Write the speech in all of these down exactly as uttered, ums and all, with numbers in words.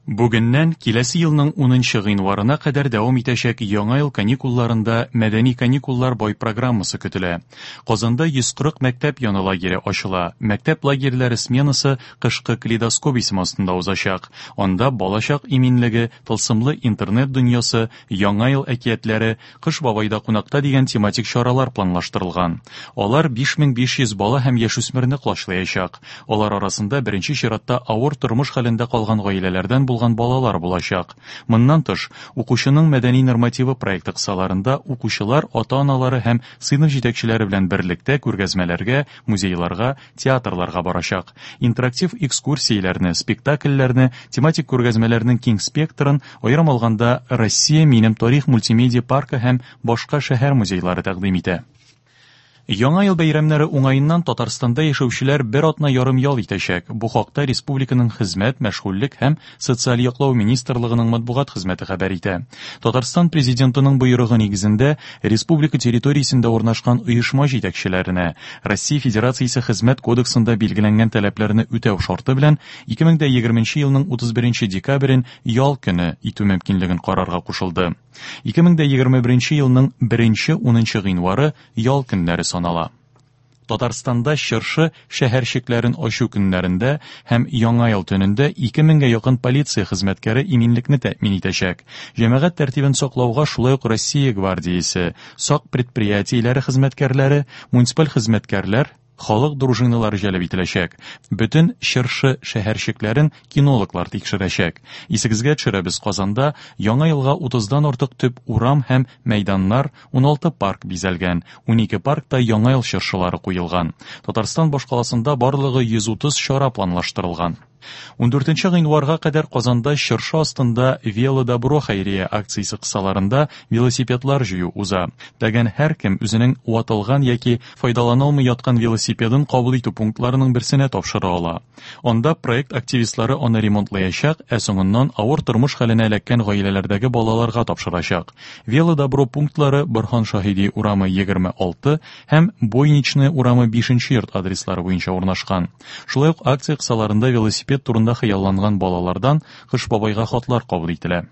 Бүгеннән киләсе елның унынчы гыйнварына кадәр дәвам итәчәк Яңа ел каникулларында мәдәни каникуллар бай программасы көтелә. Казанда йөз кырык мәктәп яны лагере ачыла. Мәктәп лагерьлары сменасы кышкы калейдоскоп исеме астында узачак. Анда балачак иминлеге, тылсымлы интернет дөньясы, Яңа ел әкиятләре, Кыш бабайда кунакта дигән тематик чаралар планлаштырылган. Алар биш мең биш йөз бала һәм яшүсмерне колачлаячак. Алар арасында беренче чиратта авыр тормыш хәлендә калган гаиләләрдән булган балалар булачак. Моннан тыш, укучының мәдәни нормативы проекты кысаларында укучылар ата-аналары һәм сыйныф җитәкчеләре белән берлектә күргәзмәләргә, музейларга, театрларга барачак. Интерактив экскурсияләрне, спектакльләрне, тематик күргәзмәләрнең киң спектрын, аерым алганда Россия минем тарих мультимедиа паркы һәм башка шәһәр музейлары тәкъдим итә. Яңа ел бәйрәмнәре уңаеннан Татарстанда яшәүчеләр бер атна ярым ял итәчәк. Бу хакта республиканың хезмәт, мәшгульлек һәм социаль яклау министрлыгының матбугат хезмәте хәбәр итә. Татарстан президентының боерыгы нигезендә республика территориясендә урнашкан оешма җитәкчеләренә Россия Федерациясе Хезмәт кодексында билгеләнгән таләпләрне үтәү шарты белән ике мең дә егерменче елның утыз беренче декабрен ял көне итү мөмкинлеген карарга кушылды. Ике мең дә егерме беренче елның беренче унынчы гыйнвары ял көннәре санала. Татарстанда чыршы шәһәрчекләрен ачу көннәрендә һәм Яңа ел төнендә ике меңгә якын полиция хезмәткәре иминлекне тәэмин итәчәк. Җәмәгать тәртибен саклауга шулай ук Россия гвардиясе, сак предприятиеләре хезмәткәрләре, муниципаль хезмәткәрләр, халык дружиналары җәлеп ителәчәк. Бөтен чыршы шәһәрчекләрен кинологлар тикшерәчәк. Исегезгә төшерәбез, Казанда Яңа елга утыздан артык төп урам һәм мәйданнар, уналты парк бизәлгән, унике паркта Яңа ел чыршылары куелган. Татарстан башкаласында барлыгы йөз утыз чара планлаштырылган. Ундүртенче гыйнварга кадәр Казанда чыршы астында Велодобро хәйрия акциясе кысаларында велосипедлар җыю уза. Теләгән һәркем үзенең ватылган яки файдаланылмый яткан велосипедын кабул итү пунктларының берсенә тапшыра ала. Анда проект активистлары аны ремонтлаячак, ә соңыннан авыр тормыш хәленә эләккән гаиләләрдәге балаларга тапшырачак. Велодобро пунктлары Борһан Шаһиди урамы егерме алты һәм Бойничная урамы бишенче йорт адреслары буенча урнашкан. Шулай ук акция кысаларында велосипед турында хыялланган балалардан Кыш бабайга хатлар кабул ителә.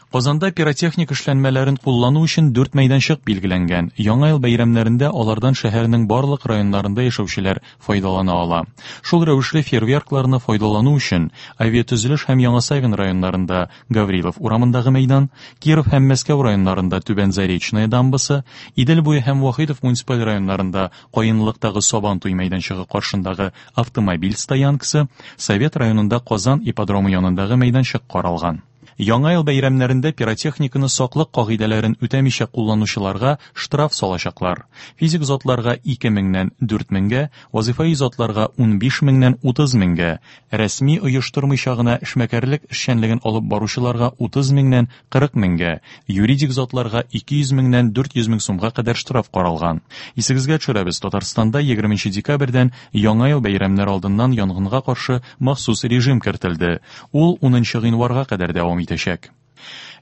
Казанда пиротехник эшләнмәләрен куллану өчен дүрт мәйданчык билгеләнгән. Яңа ел бәйрәмнәрендә алардан шәһәрнең барлык районнарында яшәүчеләр файдалана ала. Шул рәвешле фейерверкларны файдалану өчен Авиатөзелеш һәм Яңа Савин районнарында Гаврилов урамындагы мәйдан, Киров һәм Мәскәү районнарында Түбән Заречная дамбасы, Идел буе һәм Вахитов муниципаль районнарында Каенлыктагы Сабантуй мәйданчыгы каршындагы автомобиль стоянкасы, Совет районында Казан ипподромы янындагы мәйданчык каралган. Яңа ел бәйрәмнәрендә пиротехниканы саклык кагыйдәләрен үтәмичә кулланучыларга штраф салачаклар. Физик затларга ике меңнән дүрт меңгә, вазифаи затларга унбиш меңнән утыз меңгә, рәсми оештырмыйча гына эшмәкәрлек эшчәнлеген алып баручыларга утыз меңнән кырык меңгә, юридик затларга ике йөз меңнән дүрт йөз мең сумга кадәр штраф каралган. Исегезгә төшерәбез, Татарстанда егерменче декабрьдән Яңа ел бәйрәмнәре алдыннан янгынга каршы махсус режим кертелде. Ул унынчы гыйнварга кадәр дәвам итәчәк.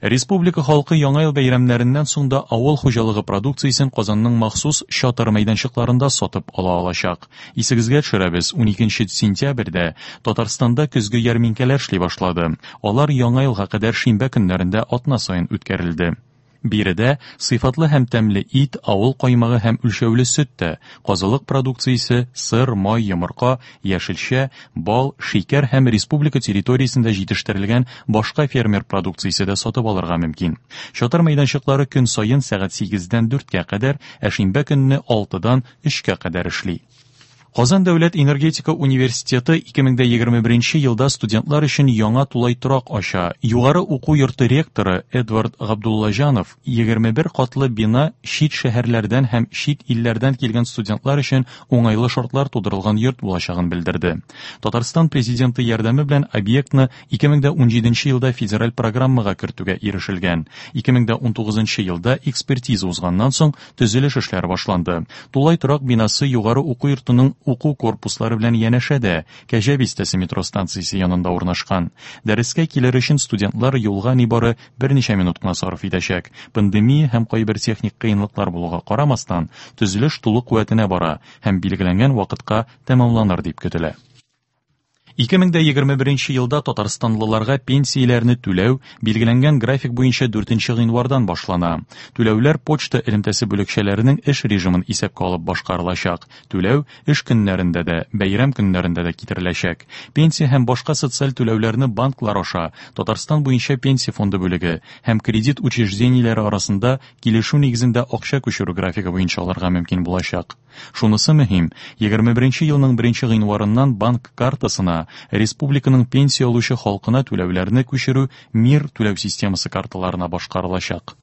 Республика халкы Яңа ел бәйрәмнәреннән соң да авыл хуҗалыгы продукциясен Казанның махсус чатыр мәйданчыкларында сатып ала алачак. Исегезгә төшерәбез, уникенче сентябрьдә Татарстанда көзге ярминкәләр эшли башлады. Алар Яңа елга кадәр шимбә көннәрендә атна саен үткәрелде. Биредә сыйфатлы һәм тәмле ит, авыл каймагы һәм үлчәүле сөт тә, казылык продукциясе, сыр, май, йомырка, яшелчә, бал, шикәр һәм республика территориясендә җитештерелгән башка фермер продукциясе дә сатып алырга мөмкин. Чатыр мәйданчыклары көн саен сәгать сигездән дүрткә кадәр, ә шимбә көнне алтыдан өчкә кадәр эшли. Казан дәүләт энергетика университеты ике мең дә егерме беренче елда студентлар өчен яңа тулай торак ача. Югары уку йорты ректоры Эдвард Габдуллаҗанов егерме бер катлы бина чит шәһәрләрдән һәм чит илләрдән килгән студентлар өчен уңайлы шартлар тудырылган йорт булачагын белдерде. Татарстан президенты ярдәме белән объектны ике мең дә унҗиденче елда федераль программага кертүгә ирешелгән. Ике мең дә унтугызынчы елда экспертиза узганнан соң төзелеш эшләре башланды. Тулай торак бинасы югары уку йортының уку корпуслары белән янәшәдә, Кәҗә бистәсе метро станциясе янында урнашкан. Дәрескә килер өчен студентлар юлга нибары берничә минут кына сарыф итәчәк. Пандемия һәм кайбер техник кыенлыклар булуга карамастан, төзелеш тулы куәтенә бара һәм билгеләнгән вакытка тәмамланыр дип көтелә. Ике мең дә егерме беренче елда татарстанлыларга пенсияләрне түләү билгеләнгән график буенча дүртенче гыйнвардан башлана. Түләүләр почта элемтәсе бүлекчәләренең эш режимын исәпкә алып башкарылачак. Түләү эш көннәрендә дә, бәйрәм көннәрендә дә китереләчәк. Пенсия һәм башка социаль түләүләрне банклар аша Татарстан буенча пенсия фонды бүлеге һәм кредит учреждениеләре арасында килешү нигезендә акча күчерү графигы буенча алырга мөмкин булачак. Шунысы мөһим, егерме беренче елның беренче гыйнварыннан банк картасына республиканың пенсия алучы халкына түләүләрне күчерү МИР түләү системасы карталарына башкарылачак.